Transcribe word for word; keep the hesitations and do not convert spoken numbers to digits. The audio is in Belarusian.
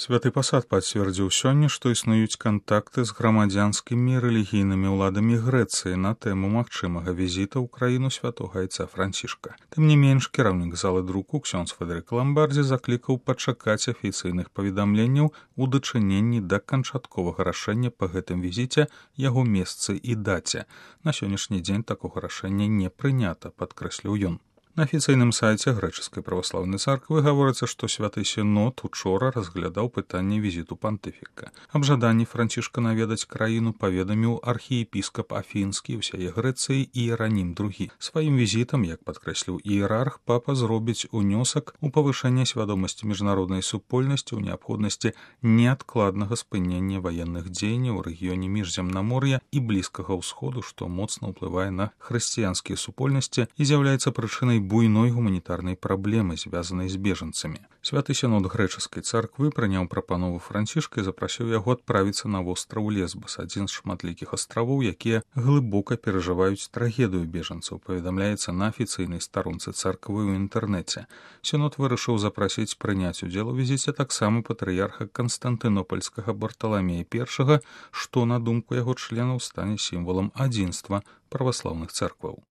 Святы пасад пацвердзіў сёння, што існуюць кантакты з грамадзянскімі і рэлігійнымі ўладамі Грэцыі на тэму магчымага візіта ў краіну святога айца Францішка. Тым не менш, кіраўнік залы друку ксёндз Федэрык Ламбардзі заклікаў пачакаць афіцыйных паведамленняў у дачыненні да канчатковага рашэння па гэтым візіце, яго месцы і даце. На сённяшні дзень такога рашэння не прынята, падкрэсліў ён. На афіцыйным сайце грэчаскай праваслаўнай царквы гаворыцца, што святы сінод учора разглядаў пытанне візіту пантыфіка. Аб жаданні Францішка наведаць краіну паведаміў архіепіскап Афінскі ўсяе Грэцыі Іеранім другі. Сваім візітам, як падкрэсліў іерарх, папа зробіць унёсак у павышэнне свядомасці міжнароднай супольнасці ў неабходнасці неадкладнага спынення ваенных дзеянняў у рэгіёне міжземнамор'я і блізкага ўсходу, што моцна ўплывае на хрысціянскія супольнасці і з'яўляецца прычынай буйной гуманітарнай праблемы, звязанай з бежанцамі. Святы сінод грэчаскай царквы прыняў прапанову Францішка і запрасіў яго адправіцца на востраў Лесбас, адзін з шматлікіх астравоў, якія глыбока перажываюць трагедыю бежанцаў, паведамляецца на афіцыйнай старонцы царквы ў інтэрнэце. Сінод вырашыў запрасіць прыняць удзел у візіце таксама патрыярха Канстантынопальскага Барталамея першага, што, на думку яго членаў, стане сімвалам адзінства праваслаўных царкваў.